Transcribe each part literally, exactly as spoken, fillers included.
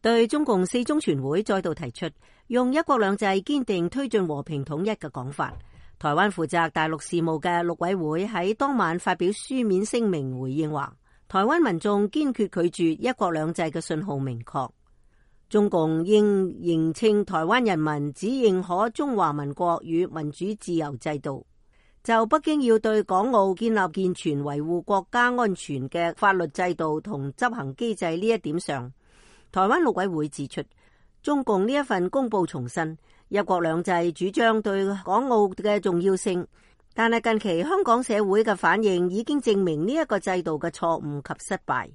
對中共四中全會再度提出用一國兩制堅定推進和平統一嘅講法。台灣負責大陸事務嘅陸委會喺當晚發表書面聲明回應話，台灣民眾堅決拒絕一國兩制嘅信號明確，中共應認清台灣人民只認可中華民國與民主自由制度。就北京要對港澳建立健全維護國家安全嘅法律制度同執行機制呢一點上，台灣陸委會指出，中共呢一份公報重申一國兩制主張對港澳嘅重要性，但係近期香港社會嘅反應已經證明呢一個制度嘅錯誤及失敗。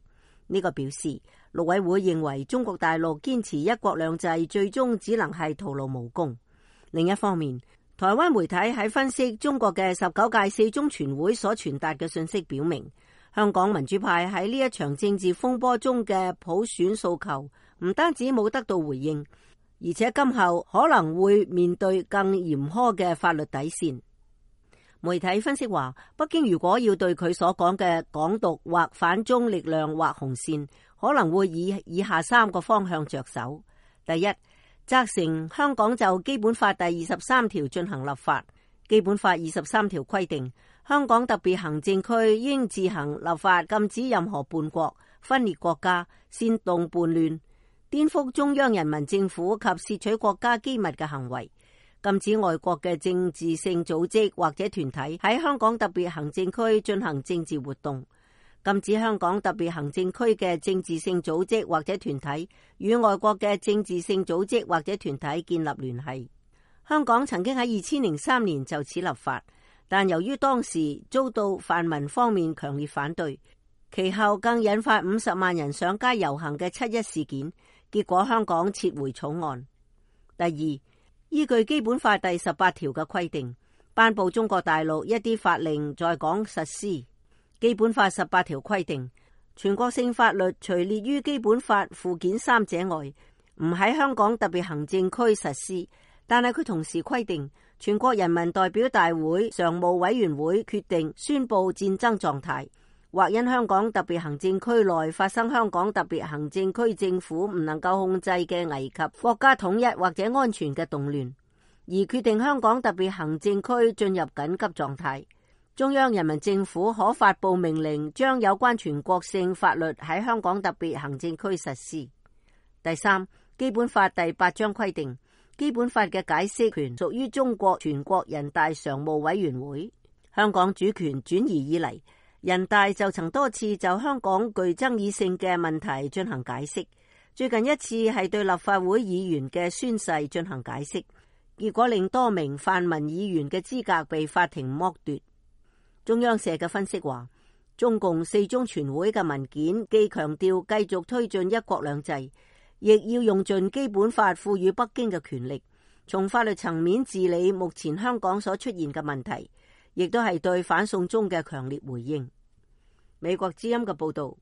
呢個表示陸委會認為中國大陸堅持一國兩制最終只能係徒勞無功。另一方面，台灣媒體喺分析中國嘅十九屆四中全會所傳達嘅信息，表明香港民主派喺呢一場政治風波中嘅普選訴求唔單止冇得到回應，而且今後可能會面對更嚴苛嘅法律底線。媒體分析話，北京如果要對佢所講嘅港獨或反中力量劃紅線，可能會以以下三個方向着手。第一，責成香港就基本法第二十三條進行立法。基本法二十三條規定，香港特別行政區應自行立法禁止任何叛國、分裂國家、煽動叛亂、顛覆中央人民政府及竊取國家機密嘅行為，禁止外國嘅政治性組織或者團體喺香港特別行政區進行政治活動，禁止香港特別行政區嘅政治性組織或者團體與外國嘅政治性組織或者團體建立聯繫。香港曾經喺二千零三年就此立法，但由於當時遭到泛民方面強烈反對，其後更引發五十萬人上街遊行嘅七一事件，結果香港撤回草案。第二，依據基本法第十八條嘅規定，頒布中國大陸一啲法令在港實施。基本法十八條規定，全國性法律除列於基本法附件三者外，唔喺香港特別行政區實施。但係佢同時規定，全國人民代表大會常務委員會決定宣布戰爭狀態，或因香港特別行政區內發生香港特別行政區政府唔能夠控制嘅危及國家統一或者安全嘅動亂，而決定香港特別行政區進入緊急狀態，中央人民政府可發布命令，將有關全國性法律喺香港特別行政區實施。第三，基本法第八章規定，基本法嘅解釋權屬於中國全國人大常務委員會。香港主權轉移以嚟，人大就曾多次就香港具爭議性嘅問題進行解釋，最近一次係對立法會議員嘅宣誓進行解釋，結果令多名泛民議員嘅資格被法庭剝奪。中央社嘅分析話，中共四中全會嘅文件既強調繼續推進一國兩制，亦要用盡基本法賦予北京嘅權力，從法律層面治理目前香港所出現嘅問題，亦都係對反送中嘅強烈回應。美國之音嘅報道。